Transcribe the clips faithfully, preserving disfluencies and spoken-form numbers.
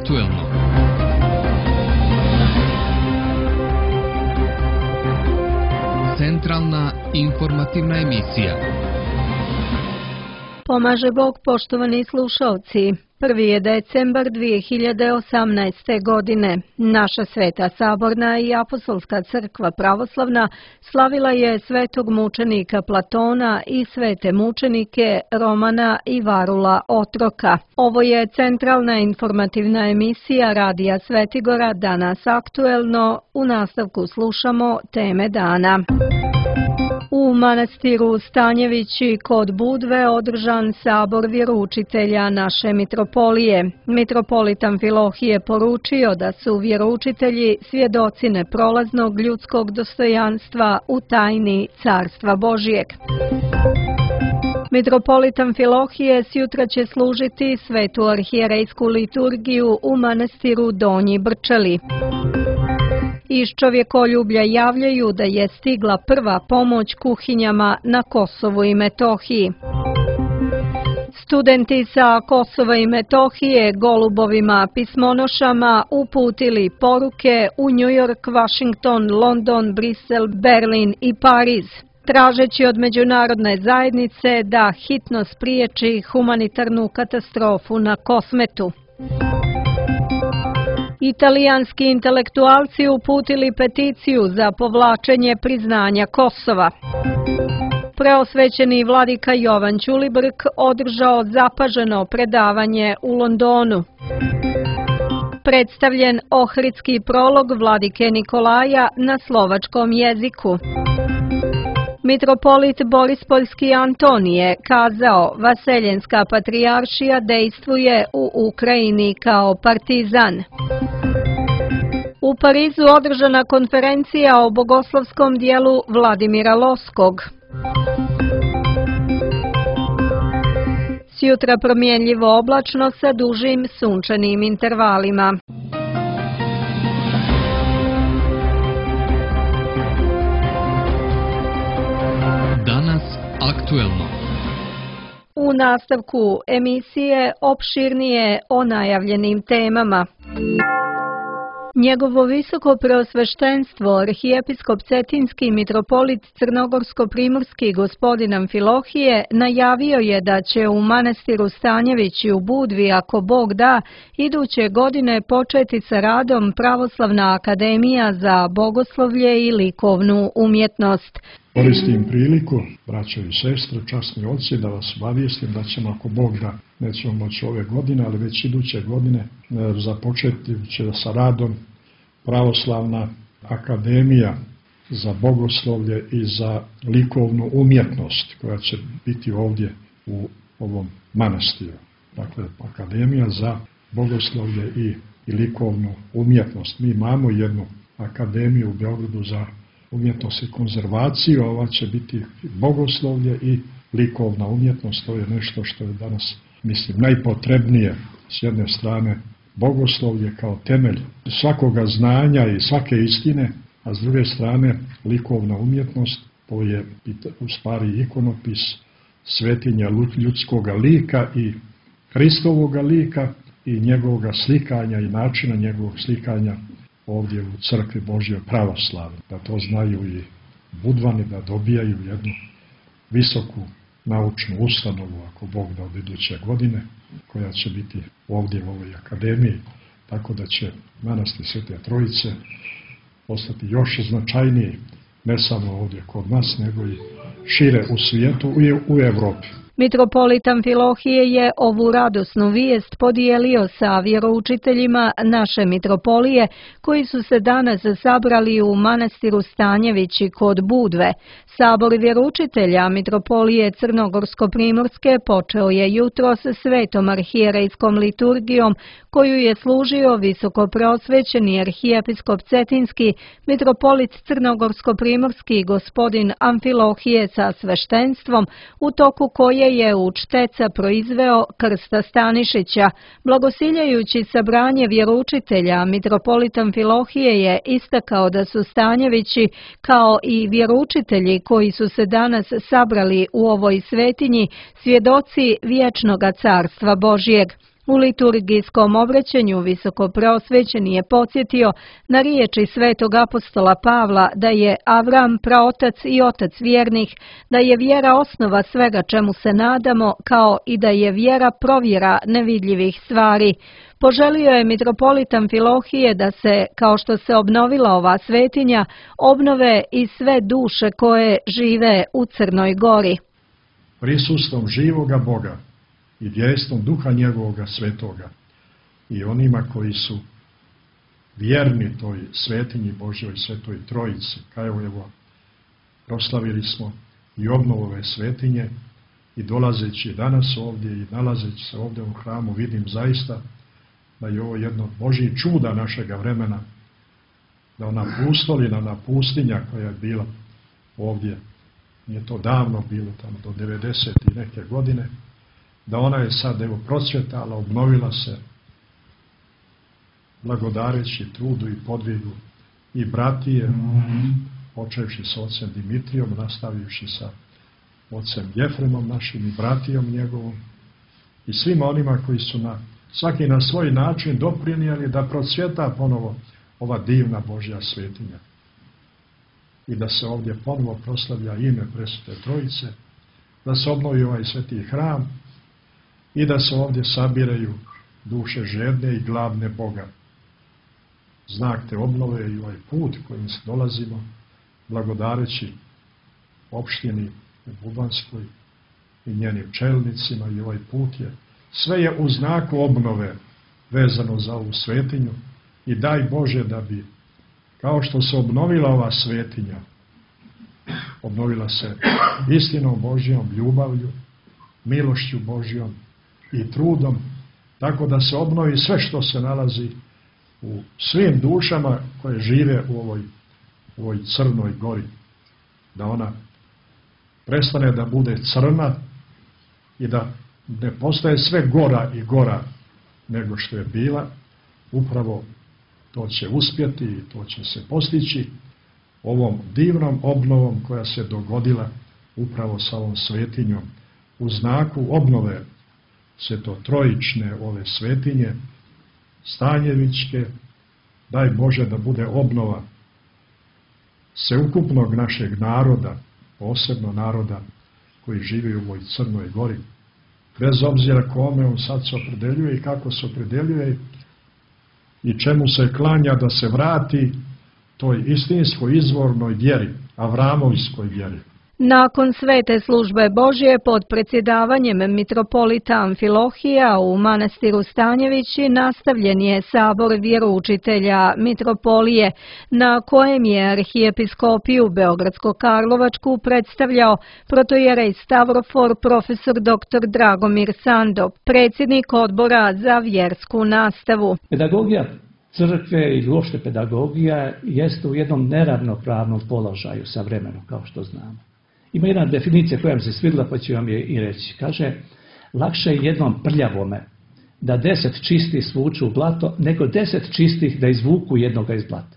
aktuelno. Centralna informativna emisija. Pomaže Bog, poštovani slušalci. Prvi je decembar dvije hiljade osamnaeste. godine. Naša Sveta Saborna i Apostolska crkva pravoslavna slavila je svetog mučenika Platona i svete mučenike Romana i Varula Otroka. Ovo je centralna informativna emisija Radija Svetigora, danas aktuelno. U nastavku slušamo teme dana. U manastiru Stanjevići kod Budve održan sabor vjeroučitelja naše mitropolije. Mitropolit Amfilohije poručio da su vjeroučitelji svjedoci neprolaznog ljudskog dostojanstva u tajni Carstva Božijeg. Mitropolit Amfilohije sjutra će služiti svetu arhijerejsku liturgiju u manastiru Donji Brčeli. Iz čovjekoljublja javljaju da je stigla prva pomoć kuhinjama na Kosovu i Metohiji. Studenti sa Kosova i Metohije golubovima pismonošama uputili poruke u New York, Washington, London, Brisel, Berlin i Pariz, tražeći od međunarodne zajednice da hitno spriječi humanitarnu katastrofu na Kosmetu. Italijanski intelektualci uputili peticiju za povlačenje priznanja Kosova. Preosvećeni vladika Jovan Ćulibrk održao zapaženo predavanje u Londonu. Predstavljen ohridski prolog vladike Nikolaja na slovačkom jeziku. Mitropolit Borispoljski Antonije kazao: Vaseljenska patrijaršija dejstvuje u Ukrajini kao partizan. U Parizu održana konferencija o bogoslovskom dijelu Vladimira Loskog. Sjutra promjenljivo oblačno sa dužim sunčanim intervalima. Danas aktuelno. U nastavku emisije opširnije o najavljenim temama. Njegovo visoko preosveštenstvo, arhijepiskop Cetinski mitropolit Crnogorsko-primorski gospodin Amfilohije najavio je da će u manastiru Stanjevići u Budvi, ako Bog da, iduće godine početi sa radom Pravoslavna akademija za bogoslovlje i likovnu umjetnost. Koristim priliku, braćo i sestre, časni oci, da vas obavijestim da ćemo, ako Bog da, nećemo moći ove godine, ali već iduće godine započeti će sa radom Pravoslavna akademija za bogoslovlje i za likovnu umjetnost, koja će biti ovdje u ovom manastiru. Dakle, akademija za bogoslovlje i, i likovnu umjetnost. Mi imamo jednu akademiju u Beogradu za umjetnost i konzervaciju, a ova će biti bogoslovlje i likovna umjetnost. To je nešto što je danas, mislim, najpotrebnije. S jedne strane bogoslovlje kao temelj svakoga znanja i svake istine, a s druge strane likovna umjetnost, to je u stvari ikonopis svetinja ljudskoga lika i Hristovoga lika i njegovog slikanja i načina njegovog slikanja ovdje u crkvi Božje pravoslavne. Da to znaju i Budvani, da dobijaju jednu visoku naučnu ustanovu, ako Bog da, od iduće godine, koja će biti ovdje u ovoj akademiji, tako da će manastir Svete Trojice postati još značajniji, ne samo ovdje kod nas, nego i šire u svijetu i u Evropi. Mitropolit Amfilohije je ovu radosnu vijest podijelio sa vjeroučiteljima naše mitropolije, koji su se danas sabrali u manastiru Stanjevići kod Budve. Sabor vjeroučitelja mitropolije Crnogorsko-primorske počeo je jutro sa svetom arhijerejskom liturgijom, koju je služio visoko preosvećeni arhijepiskop Cetinski, mitropolit Crnogorsko-primorski gospodin Amfilohije sa sveštenstvom, u toku koje je u Čteca proizveo Krsta Stanišića. Blagosiljajući sabranje vjeroučitelja, mitropolit Amfilohije je istakao da su Stanjevići, kao i vjeroučitelji koji su se danas sabrali u ovoj svetinji, svjedoci vječnoga Carstva Božjeg. U liturgijskom obraćanju visokopreosvećeni je podsjetio na riječi svetog apostola Pavla da je Avram praotac i otac vjernih, da je vjera osnova svega čemu se nadamo, kao i da je vjera provjera nevidljivih stvari. Poželio je mitropolit Amfilohije da se, kao što se obnovila ova svetinja, obnove i sve duše koje žive u Crnoj Gori. Prisustvom živoga Boga i djelstvom duha njegovoga svetoga i onima koji su vjerni toj svetinji Božjoj svetoj trojici, kao evo proslavili smo i obnovu ove svetinje i dolazeći danas ovdje i nalazeći se ovdje u hramu vidim zaista da je ovo jedno Božje čuda našega vremena, da ona pustolina, ona pustinja koja je bila ovdje, nije to davno bilo, tamo do devedeset i neke godine, da ona je sad evo procvjetala, obnovila se, blagodareći trudu i podvigu i bratije, mm-hmm. počevši sa ocem Dimitrijom, nastavivši sa ocem Jefremom našim i bratijom njegovom i svima onima koji su na svaki na svoj način doprinijeli da procvjeta ponovo ova divna Božja svetinja i da se ovdje ponovo proslavlja ime Presvete Trojice, da se obnovi ovaj sveti hram i da se ovdje sabiraju duše žedne i gladne Boga. Znak te obnove i ovaj put kojim se dolazimo, blagodareći opštini u Bubanskoj i njenim čelnicima i ovaj put je sve je u znaku obnove vezano za ovu svetinju i daj Bože da bi, kao što se obnovila ova svetinja, obnovila se istinom Božjom, ljubavlju, milošću Božjom i trudom, tako da se obnovi sve što se nalazi u svim dušama koje žive u ovoj, u ovoj Crnoj Gori. Da ona prestane da bude crna i da ne postaje sve gora i gora nego što je bila, upravo to će uspjeti i to će se postići ovom divnom obnovom koja se dogodila upravo sa ovom svetinjom. U znaku obnove svetotrojične ove svetinje, Stanjevićke, daj Bože da bude obnova sveukupnog našeg naroda, posebno naroda koji živi u ovoj Crnoj Gori, bez obzira kome on sad se opredeljuje i kako se opredeljuje i čemu se klanja da se vrati toj istinskoj izvornoj vjeri, Avramovskoj vjeri. Nakon svete službe Božje pod predsjedavanjem mitropolita Amfilohija u manastiru Stanjevići nastavljen je sabor vjeroučitelja mitropolije, na kojem je arhijepiskopiju Beogradsko-Karlovačku predstavljao protojerej Stavrofor profesor doktor Dragomir Sando, predsjednik odbora za vjersku nastavu. Pedagogija crkve i uopšte pedagogija jeste u jednom neravnopravnom položaju sa vremenom, kao što znamo. Ima jedna definicija koja mi se svidjela, pa ću vam je i reći. Kaže, lakše je jednom prljavome da deset čistih svuču u blato, nego deset čistih da izvuku jednoga iz blata.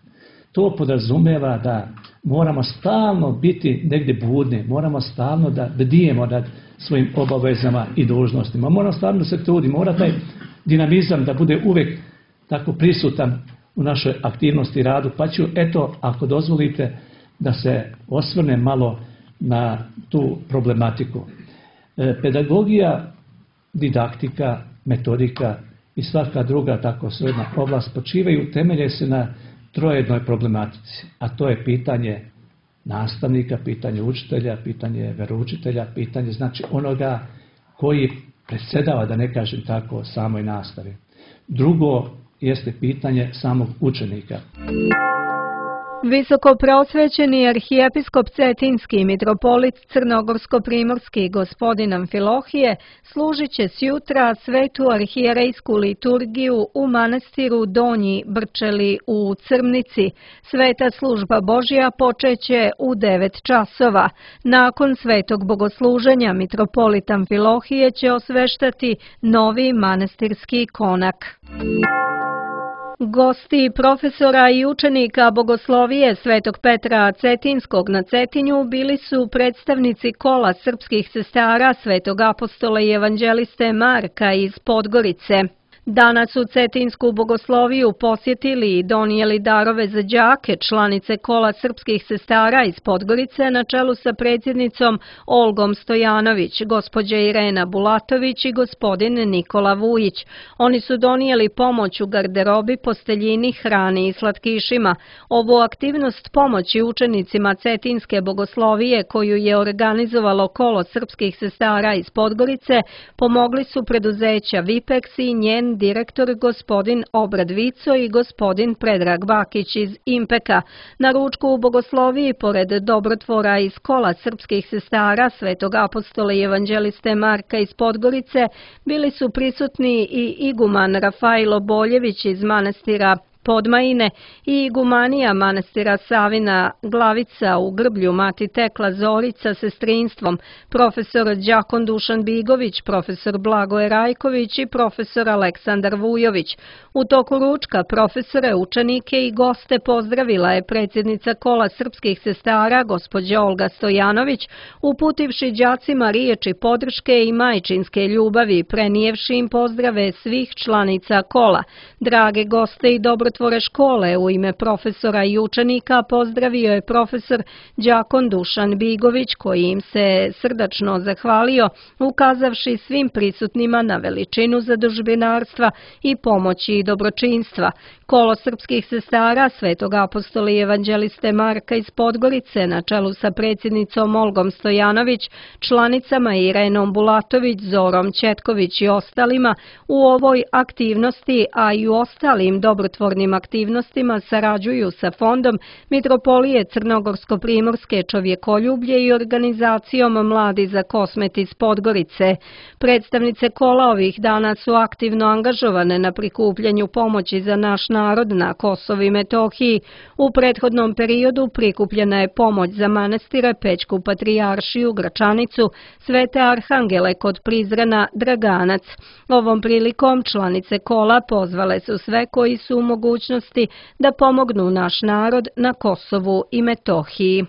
To podrazumijeva da moramo stalno biti negdje budni, moramo stalno da bdijemo nad svojim obavezama i dužnostima. Moramo stalno se truditi, mora taj dinamizam da bude uvijek tako prisutan u našoj aktivnosti i radu. Pa ću, eto, ako dozvolite, da se osvrne malo na tu problematiku. E, pedagogija, didaktika, metodika i svaka druga tako sredna oblast počivaju, temelje se na trojednoj problematici, a to je pitanje nastavnika, pitanje učitelja, pitanje veroučitelja, pitanje znači onoga koji predsjedava, da ne kažem tako, samoj nastavi. Drugo jeste pitanje samog učenika. Visoko preosvećeni arhijepiskop Cetinski mitropolit Crnogorsko-primorski gospodin Amfilohije služit će sjutra svetu arhijerejsku liturgiju u manastiru Donji Brčeli u Crmnici. Sveta služba Božja počeće u devet časova. Nakon svetog bogosluženja mitropolit Amfilohije će osveštati novi manastirski konak. Gosti profesora i učenika bogoslovije Svetog Petra Cetinskog na Cetinju bili su predstavnici kola srpskih sestara Svetog apostola i evanđeliste Marka iz Podgorice. Danas su Cetinsku bogosloviju posjetili i donijeli darove za đake, članice Kola srpskih sestara iz Podgorice na čelu sa predsjednicom Olgom Stojanović, gospođa Irena Bulatović i gospodin Nikola Vujić. Oni su donijeli pomoć u garderobi, posteljini, hrani i slatkišima. Ovu aktivnost pomoći učenicima Cetinske bogoslovije koju je organizovalo Kolo srpskih sestara iz Podgorice pomogli su preduzeća Vipex i njen direktor gospodin Obrad Vico i gospodin Predrag Bakić iz Impeka. Na ručku u bogosloviji, pored dobrotvora iz Kola srpskih sestara Svetog apostola i evanđeliste Marka iz Podgorice, bili su prisutni i iguman Rafailo Boljević iz manastira Podmajine i igumanija manastira Savina Glavica u Grblju Mati Tekla Zorić sa sestrinstvom, profesor Đakon Dušan Bigović, profesor Blagoje Rajković i profesor Aleksandar Vujović. U toku ručka profesore, učenike i goste pozdravila je predsjednica Kola srpskih sestara gospođa Olga Stojanović, uputivši đacima riječi podrške i majčinske ljubavi, prenijevši im pozdrave svih članica Kola. Drage goste i dobrotvore škole, u ime profesora i učenika pozdravio je profesor Đakon Dušan Bigović, koji im se srdačno zahvalio, ukazavši svim prisutnima na veličinu zadužbinarstva i pomoći i dobročinstva. Kolo srpskih sestara Svetog apostola i evanđeliste Marka iz Podgorice na čelu sa predsjednicom Olgom Stojanović, članicama Irenom Bulatović, Zorom Četković i ostalima u ovoj aktivnosti, a i u ostalim dobrotvornim aktivnostima sarađuju sa Fondom Mitropolije Crnogorsko-Primorske čovjekoljublje i organizacijom Mladi za Kosmet iz Podgorice. Predstavnice Kola ovih dana su aktivno angažovane na prikupljanju pomoći za naš narod na Kosovu i Metohiji. U prethodnom periodu prikupljena je pomoć za manastire, Pećku patrijaršiju, Gračanicu, Svete Arhangele kod Prizrena, Draganac. Ovom prilikom članice Kola pozvale su sve koji su u mogućnosti da pomognu naš narod na Kosovu i Metohiji.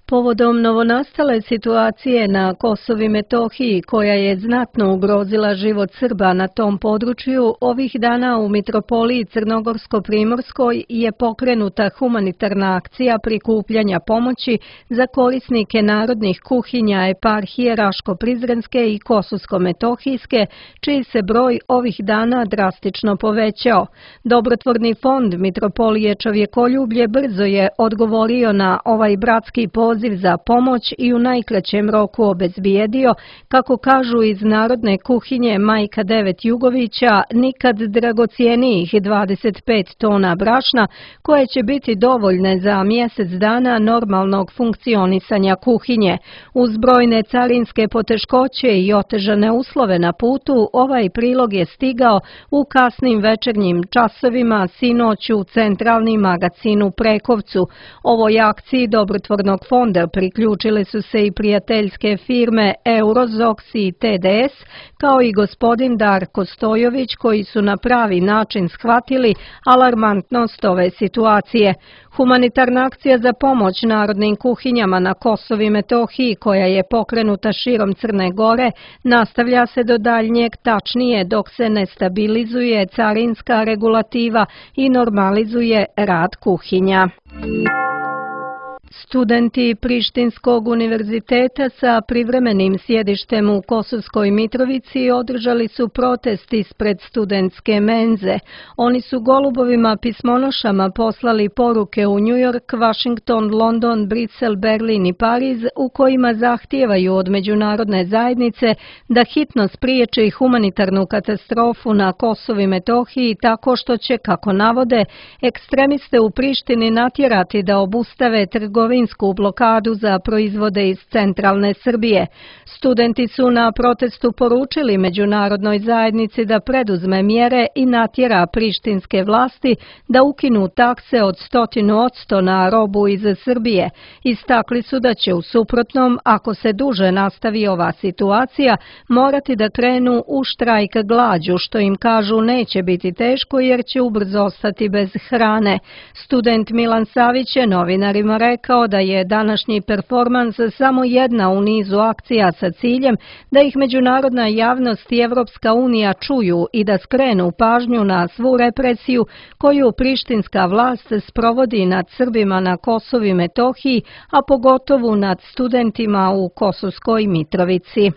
Povodom novonastale situacije na Kosovu i Metohiji, koja je znatno ugrozila život Srba na tom području, ovih dana u Mitropoliji Crnogorsko-Primorskoj je pokrenuta humanitarna akcija prikupljanja pomoći za korisnike narodnih kuhinja eparhije Raško-Prizrenske i Kosovsko-Metohijske, čiji se broj ovih dana drastično povećao. Dobrotvorni fond Mitropolije čovjekoljublje brzo je odgovorio na ovaj bratski poziv za pomoć i u najkraćem roku obezbijedio, kako kažu iz narodne kuhinje Majka Devet Jugovića, nikad dragocijenijih dvadeset pet tona brašna, koje će biti dovoljne za mjesec dana normalnog funkcionisanja kuhinje. Uz brojne carinske poteškoće i otežane uslove na putu, ovaj prilog je stigao u kasnim večernjim časovima sinoć u centralni magazin u Prekovcu. Ovoj akciji dobrotvornog fonda priključile su se i prijateljske firme Eurozox i T D S, kao i gospodin Darko Stojović, koji su na pravi način shvatili alarmantnost ove situacije. Humanitarna akcija za pomoć narodnim kuhinjama na Kosovu i Metohiji, koja je pokrenuta širom Crne Gore, nastavlja se do daljnjeg, tačnije dok se ne stabilizuje carinska regulativa i normalizuje rad kuhinja. Studenti Prištinskog univerziteta sa privremenim sjedištem u Kosovskoj Mitrovici održali su protest ispred studentske menze. Oni su golubovima pismonošama poslali poruke u New York, Washington, London, Brisel, Berlin i Pariz, u kojima zahtijevaju od međunarodne zajednice da hitno spriječi humanitarnu katastrofu na Kosovu i Metohiji tako što će, kako navode, ekstremiste u Prištini natjerati da obustave trgovinsku blokadu za proizvode iz centralne Srbije. Studenti su na protestu poručili međunarodnoj zajednici da preduzme mjere i natjera prištinske vlasti da ukinu takse od stotinu odsto na robu iz Srbije. Istakli su da će u suprotnom, ako se duže nastavi ova situacija, morati da krenu u štrajk glađu, što im kažu neće biti teško jer će ubrzo ostati bez hrane. Student Milan Savić je novinarima rekao rekao da je današnji performans samo jedna u nizu akcija sa ciljem da ih međunarodna javnost i Evropska unija čuju i da skrenu pažnju na svu represiju koju prištinska vlast sprovodi nad Srbima na Kosovu i Metohiji, a pogotovo nad studentima u Kosovskoj Mitrovici.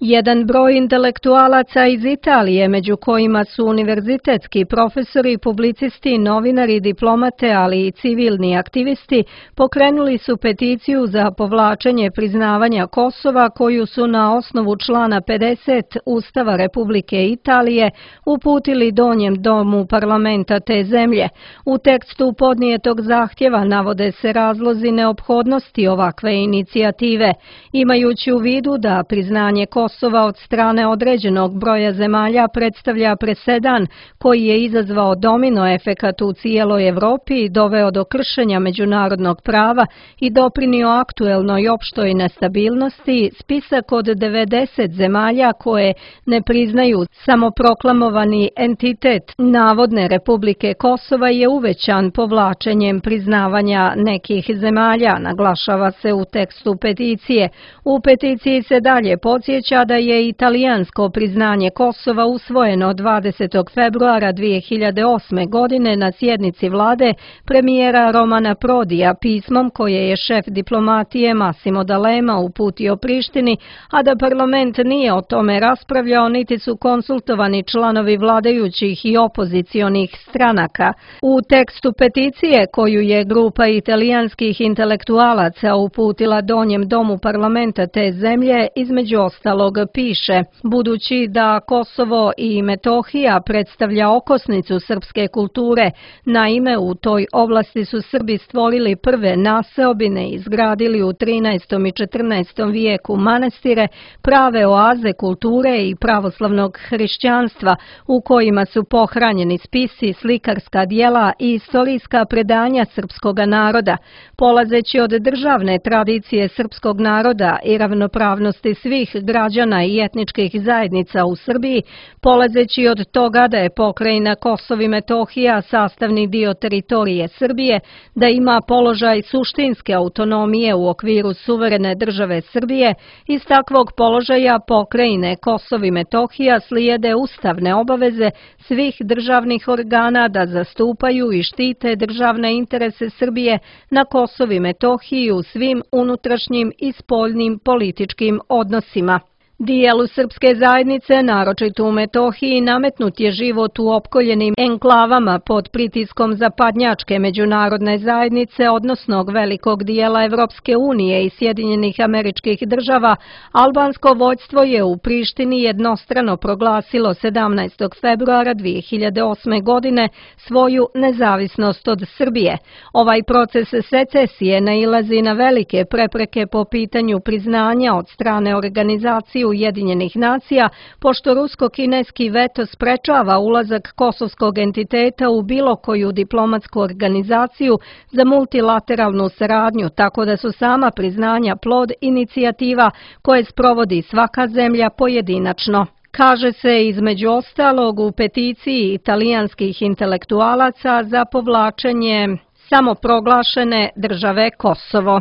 Jedan broj intelektualaca iz Italije, među kojima su univerzitetski profesori, publicisti, novinari, diplomate, ali i civilni aktivisti, pokrenuli su peticiju za povlačenje priznavanja Kosova koju su na osnovu člana pedeset Ustava Republike Italije uputili donjem domu parlamenta te zemlje. U tekstu podnijetog zahtjeva navode se razlozi neophodnosti ovakve inicijative, imajući u vidu da priznanje Kosova Kosova od strane određenog broja zemalja predstavlja presedan koji je izazvao domino efekat u cijeloj Evropi i doveo do kršenja međunarodnog prava i doprinio aktuelnoj opštoj nestabilnosti. Spisak od devedeset zemalja koje ne priznaju samoproklamovani entitet navodne Republike Kosova je uvećan povlačenjem priznavanja nekih zemalja, naglašava se u tekstu peticije. U peticiji se dalje podsjeća da je italijansko priznanje Kosova usvojeno dvadesetog februara dvije hiljade osme. godine na sjednici vlade premijera Romana Prodija pismom koje je šef diplomatije Massimo D'Alema uputio Prištini, a da parlament nije o tome raspravljao niti su konsultovani članovi vladajućih i opozicionih stranaka. U tekstu peticije koju je grupa italijanskih intelektualaca uputila donjem domu parlamenta te zemlje, između ostalog piše: budući da Kosovo i Metohija predstavlja okosnicu srpske kulture, naime u toj oblasti su Srbi stvorili prve naseobine i izgradili u trinaestom i četrnaestom vijeku manastire, prave oaze kulture i pravoslavnog hrišćanstva u kojima su pohranjeni spisi, slikarska djela i istorijska predanja srpskog naroda. Polazeći od državne tradicije srpskog naroda i ravnopravnosti svih građana i etničkih zajednica u Srbiji, polazeći od toga da je pokrajina Kosovo i Metohija sastavni dio teritorije Srbije, da ima položaj suštinske autonomije u okviru suverene države Srbije, iz takvog položaja pokrajine Kosovo i Metohija slijede ustavne obaveze svih državnih organa da zastupaju i štite državne interese Srbije na Kosovu i Metohiji u svim unutrašnjim i spoljnim političkim odnosima. Dijelu srpske zajednice, naročito u Metohiji, nametnut je život u opkoljenim enklavama pod pritiskom zapadnjačke međunarodne zajednice, odnosno velikog dijela Evropske unije i Sjedinjenih Američkih Država. Albansko vođstvo je u Prištini jednostrano proglasilo sedamnaestog februara dvije hiljade osme. godine svoju nezavisnost od Srbije. Ovaj proces secesije nailazi na velike prepreke po pitanju priznanja od strane organizacije Ujedinjenih nacija, pošto rusko-kineski veto sprečava ulazak kosovskog entiteta u bilo koju diplomatsku organizaciju za multilateralnu saradnju, tako da su sama priznanja plod inicijativa koje sprovodi svaka zemlja pojedinačno. Kaže se između ostalog u peticiji italijanskih intelektualaca za povlačenje samoproglašene države Kosovo.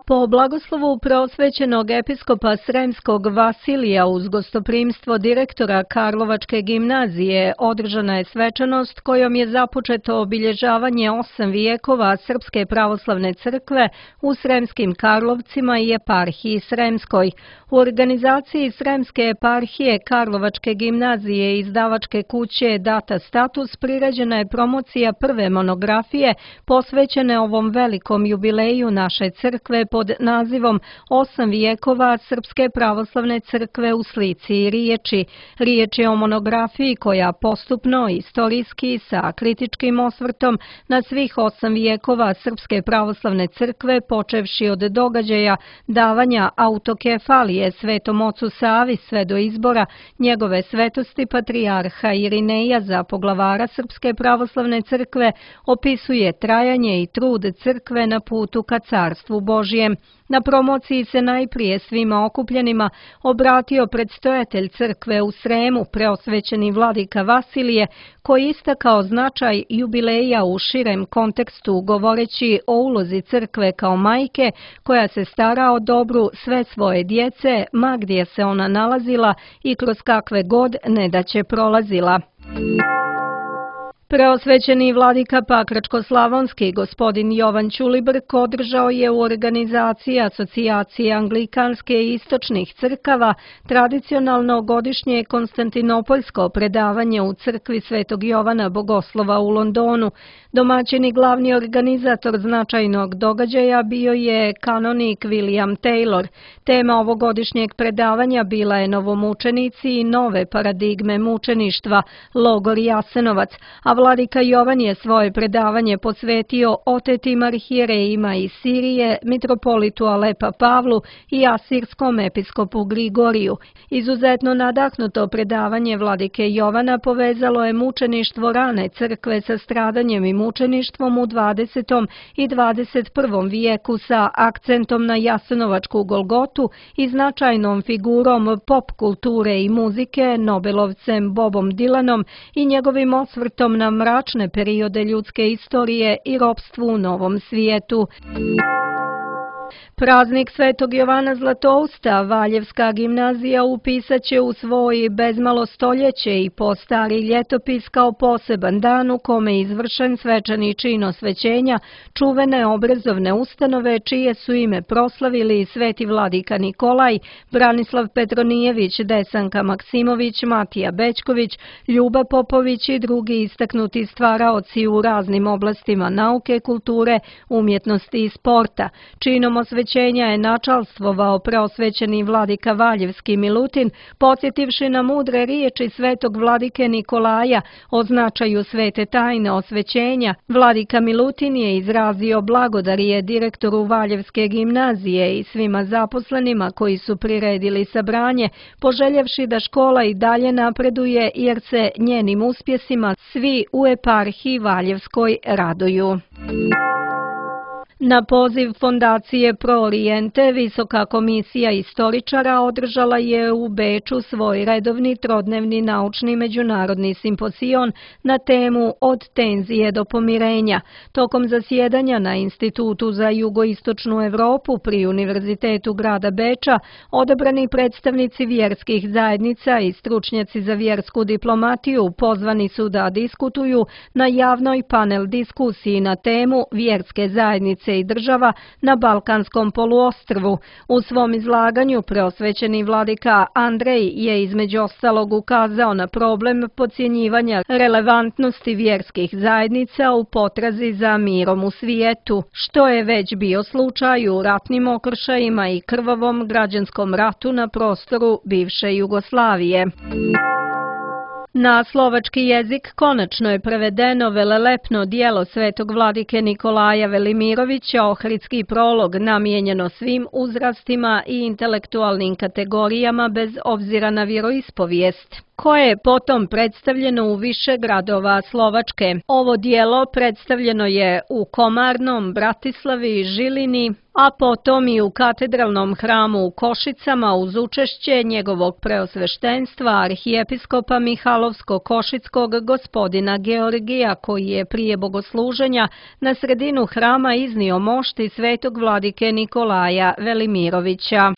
Po blagoslovu preosvećenog episkopa Sremskog Vasilija uz gostoprimstvo direktora Karlovačke gimnazije održana je svečanost kojom je započeto obilježavanje osam vijekova Srpske pravoslavne crkve u Sremskim Karlovcima i eparhiji Sremskoj. U organizaciji Sremske eparhije Karlovačke gimnazije i izdavačke kuće Data Status priređena je promocija prve monografije posvećene ovom velikom jubileju naše crkve pod nazivom Osam vijekova Srpske pravoslavne crkve u slici i riječi. Riječ je o monografiji koja postupno, istorijski, sa kritičkim osvrtom na svih osam vijekova Srpske pravoslavne crkve, počevši od događaja davanja autokefalije Svetom ocu Savi sve do izbora njegove svetosti patrijarha Irineja za poglavara Srpske pravoslavne crkve, opisuje trajanje i trud crkve na putu ka carstvu Božjem. Srem. Na promociji se najprije svima okupljenima obratio predstojatelj crkve u Sremu, preosvećeni vladika Vasilije, koji istakao značaj jubileja u širem kontekstu govoreći o ulozi crkve kao majke koja se stara o dobru sve svoje djece, ma gdje se ona nalazila i kroz kakve god nedaće prolazila. Preosvećeni vladika Pakračko-slavonski gospodin Jovan Ćulibrk održao je u organizaciji Asocijacije anglikanske i istočnih crkava tradicionalno godišnje konstantinopoljsko predavanje u crkvi Svetog Jovana Bogoslova u Londonu. Domaćin i glavni organizator značajnog događaja bio je kanonik William Taylor. Tema ovogodišnjeg predavanja bila je novomučenici i nove paradigme mučeništva, logor Jasenovac, a vladika Jovan je svoje predavanje posvetio otetim arhijerejima iz Sirije, mitropolitu Alepa Pavlu i asirskom episkopu Grigoriju. Izuzetno nadahnuto predavanje vladike Jovana povezalo je mučeništvo rane crkve sa stradanjem i mučeništvom u dvadesetom i dvadeset prvom vijeku sa akcentom na jasenovačku Golgotu i značajnom figurom pop kulture i muzike, Nobelovcem Bobom Dylanom i njegovim osvrtom na mračne periode ljudske istorije i ropstvu u Novom svijetu. Praznik Svetog Jovana Zlatousta Valjevska gimnazija upisat će u svoj bezmalo stoljeće i po stari ljetopis kao poseban dan u kome je izvršen svečani čin osvećenja čuvene obrazovne ustanove čije su ime proslavili sveti vladika Nikolaj, Branislav Petronijević, Desanka Maksimović, Matija Bećković, Ljuba Popović i drugi istaknuti stvaraoci u raznim oblastima nauke, kulture, umjetnosti i sporta. Činom osvećenja je načalstvovao preosvećeni vladika Valjevski Milutin, podsjetivši na mudre riječi svetog vladike Nikolaja o značaju svete tajne osvećenja. Vladika Milutin je izrazio blagodarje direktoru Valjevske gimnazije i svima zaposlenima koji su priredili sabranje, poželjevši da škola i dalje napreduje jer se njenim uspjesima svi u eparhiji Valjevskoj raduju. Na poziv Fondacije Pro Oriente, Visoka komisija istoričara održala je u Beču svoj redovni trodnevni naučni međunarodni simpozion na temu Od tenzije do pomirenja. Tokom zasjedanja na Institutu za jugoistočnu Europu pri Univerzitetu grada Beča, odabrani predstavnici vjerskih zajednica i stručnjaci za vjersku diplomatiju pozvani su da diskutuju na javnoj panel diskusiji na temu Vjerske zajednice i država na Balkanskom poluostrvu. U svom izlaganju preosvećeni vladika Andrej je između ostalog ukazao na problem podcjenjivanja relevantnosti vjerskih zajednica u potrazi za mirom u svijetu, što je već bio slučaj u ratnim okršajima i krvavom građanskom ratu na prostoru bivše Jugoslavije. Na slovački jezik konačno je prevedeno velelepno djelo svetog vladike Nikolaja Velimirovića, Ohridski prolog, namijenjeno svim uzrastima i intelektualnim kategorijama bez obzira na vjeroispovijest, koje je potom predstavljeno u više gradova Slovačke. Ovo djelo predstavljeno je u Komarnom, Bratislavi, Žilini, a potom i u katedralnom hramu u Košicama uz učešće njegovog preosveštenstva arhijepiskopa Mihalovsko-Košickog gospodina Georgija, koji je prije bogosluženja na sredinu hrama iznio mošti svetog vladike Nikolaja Velimirovića.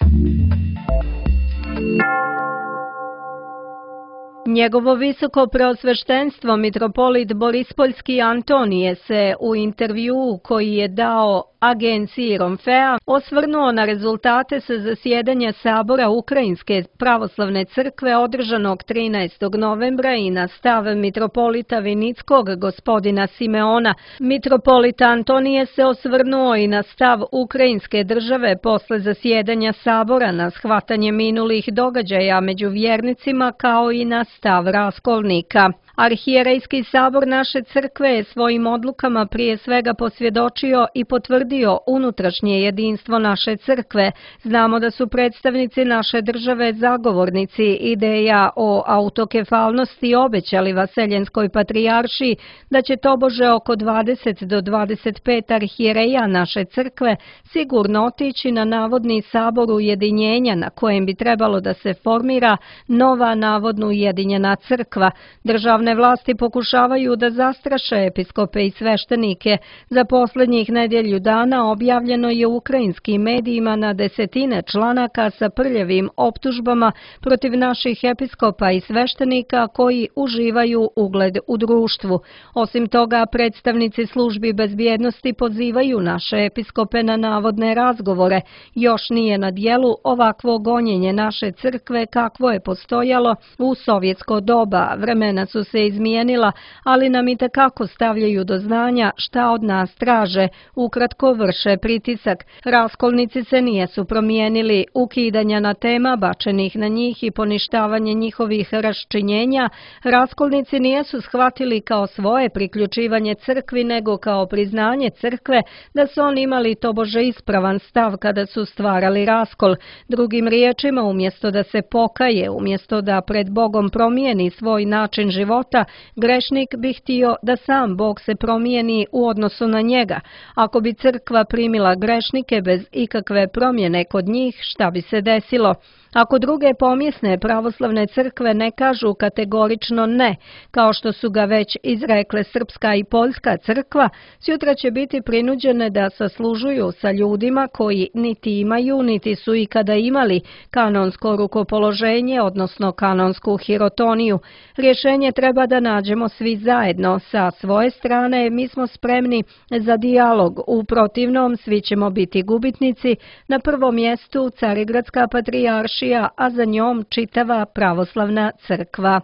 Njegovo visoko preosveštenstvo mitropolit Borispoljski Antonije se u intervjuu koji je dao agenciji Romfea osvrnuo na rezultate sa zasjedanja Sabora Ukrajinske pravoslavne crkve održanog trinaestog novembra i na stav mitropolita Vinickog gospodina Simeona. Mitropolit Antonije se osvrnuo i na stav Ukrajinske države posle zasjedanja Sabora, na shvatanje minulih događaja među vjernicima kao i na stav raskolnika. Arhijerejski sabor naše crkve je svojim odlukama prije svega posvjedočio i potvrdio potvrdio unutrašnje jedinstvo naše crkve. Znamo da su predstavnici naše države zagovornici ideja o autokefalnosti obećali Vaseljenskoj patrijaršiji da će tobože oko dvadeset do dvadeset pet arhijereja naše crkve sigurno otići na navodni sabor ujedinjenja na kojem bi trebalo da se formira nova navodno ujedinjena crkva. Državne vlasti pokušavaju da zastraše episkope i sveštenike. Za posljednjih nedjelju dana objavljeno je u ukrajinskim medijima na desetine članaka sa prljavim optužbama protiv naših episkopa i sveštenika koji uživaju ugled u društvu. Osim toga, predstavnici službi bezbjednosti pozivaju naše episkope na navodne razgovore. Još nije na dijelu ovakvo gonjenje naše crkve kakvo je postojalo u sovjetsko doba. Vremena su se izmijenila, ali nam i tekako stavljaju do znanja šta od nas traže. Ukratko vrše pritisak. Raskolnici se nijesu promijenili. Ukidanja na tema bačenih na njih i poništavanje njihovih raščinjenja, raskolnici nijesu shvatili kao svoje priključivanje crkvi, nego kao priznanje crkve da su oni imali tobože ispravan stav kada su stvarali raskol. Drugim riječima, umjesto da se pokaje, umjesto da pred Bogom promijeni svoj način života, grešnik bi htio da sam Bog se promijeni u odnosu na njega. Ako bi crkva primila grešnike bez ikakve promjene kod njih, šta bi se desilo? Ako druge pomjesne pravoslavne crkve ne kažu kategorično ne, kao što su ga već izrekle srpska i poljska crkva, sutra će biti prinuđene da saslužuju sa ljudima koji niti imaju, niti su ikada imali kanonsko rukopoloženje, odnosno kanonsku hirotoniju. Rješenje treba da nađemo svi zajedno. Sa svoje strane mi smo spremni za dijalog, u protivnom svi ćemo biti gubitnici, na prvom mjestu Carigradska patrijaršija, a za njom čitava pravoslavna crkva.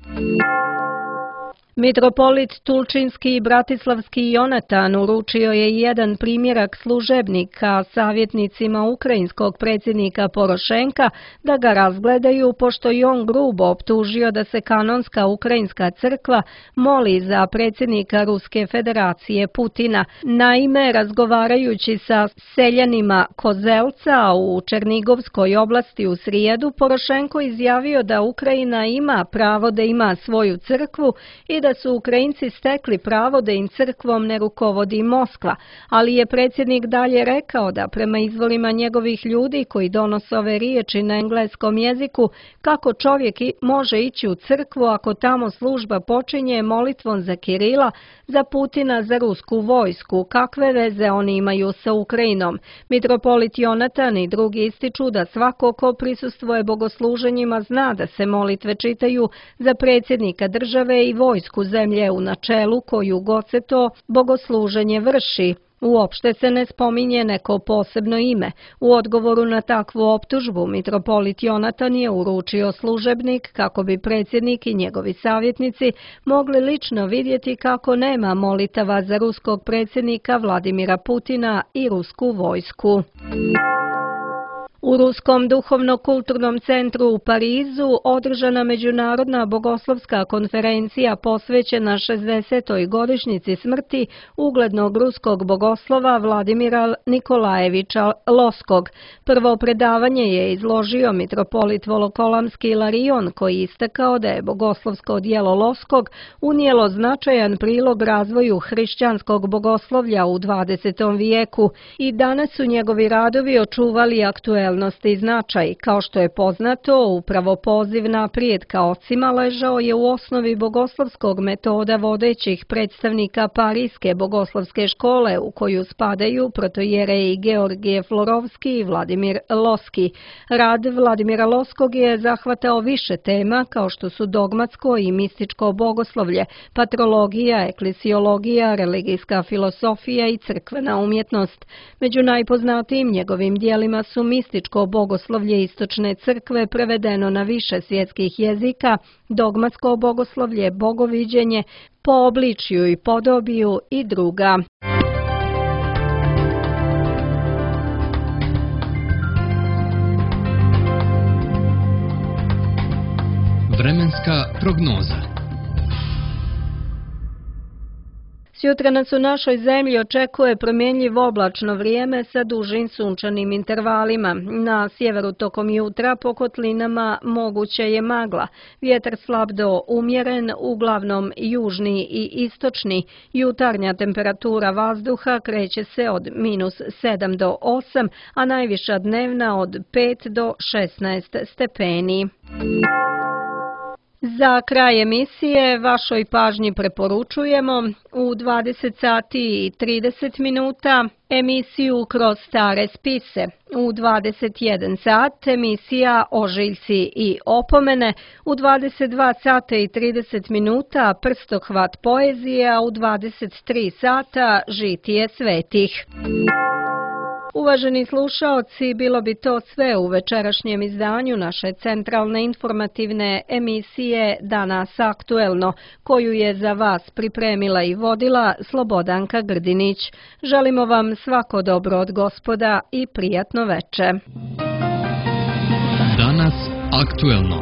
Mitropolit Tulčinski i Bratislavski Jonatan uručio je jedan primjerak služebnika savjetnicima ukrajinskog predsjednika Porošenka da ga razgledaju, pošto je on grubo optužio da se kanonska ukrajinska crkva moli za predsjednika Ruske federacije Putina. Naime, razgovarajući sa seljanima Kozelca u Černigovskoj oblasti u srijedu, Porošenko izjavio da Ukrajina ima pravo da ima svoju crkvu i da da su Ukrajinci stekli pravo da im crkvom ne rukovodi Moskva, ali je predsjednik dalje rekao da prema izvorima njegovih ljudi koji donose ove riječi na engleskom jeziku, kako čovjek može ići u crkvu ako tamo služba počinje molitvom za Kirila, za Putina, za rusku vojsku, kakve veze oni imaju sa Ukrajinom. Mitropolit Jonatan i drugi ističu da svako ko prisustvuje bogosluženjima zna da se molitve čitaju za predsjednika države i vojsku zemlje u načelu koju god se to bogosluženje vrši. Uopšte se ne spominje neko posebno ime. U odgovoru na takvu optužbu mitropolit Jonatan je uručio služebnik kako bi predsjednik i njegovi savjetnici mogli lično vidjeti kako nema molitava za ruskog predsjednika Vladimira Putina i rusku vojsku. U Ruskom duhovno-kulturnom centru u Parizu održana međunarodna bogoslovska konferencija posvećena šezdesetoj godišnjici smrti uglednog ruskog bogoslova Vladimira Nikolajeviča Loskog. Prvo predavanje je izložio mitropolit Volokolamski Ilarion, koji istakao da je bogoslovsko djelo Loskog unijelo značajan prilog razvoju hrišćanskog bogoslovlja u dvadesetom vijeku i danas su njegovi radovi očuvali aktuelnost i značaj. Kao što je poznato, upravo poziv naprijed ka ocima ležao je u osnovi bogoslovskog metoda vodećih predstavnika Parijske bogoslovske škole, u koju spadaju protojereji Georgije Florovski i Vladimir Loski. Rad Vladimira Loskog je zahvatao više tema kao što su dogmatsko i mističko bogoslovlje, patrologija, eklesiologija, religijska filosofija i crkvena umjetnost. Među najpoznatijim njegovim dijelima su mističko bogoslovlje istočne crkve prevedeno na više svjetskih jezika, dogmatsko bogoslovlje, bogoviđenje, po obličju i podobiju i druga. Vremenska prognoza. Sjutra nas u našoj zemlji očekuje promjenjivo oblačno vrijeme sa dužim sunčanim intervalima. Na sjeveru tokom jutra po kotlinama moguće je magla. Vjetar slab do umjeren, uglavnom južni i istočni. Jutarnja temperatura vazduha kreće se od minus sedam do osam, a najviša dnevna od pet do šesnaest stepeni. Za kraj emisije vašoj pažnji preporučujemo u dvadeset sati i trideset minuta emisiju Kroz stare spise, u dvadeset jedan sat emisija Ožiljci i opomene, u dvadeset dva sata i trideset minuta Prstohvat poezije, a u dvadeset tri sata Žitije svetih. Uvaženi slušaoci, bilo bi to sve u večerašnjem izdanju naše centralne informativne emisije Danas aktuelno, koju je za vas pripremila i vodila Slobodanka Grdinić. Želimo vam svako dobro od Gospoda i prijatno veče. Danas aktuelno.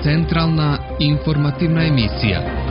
Centralna informativna emisija.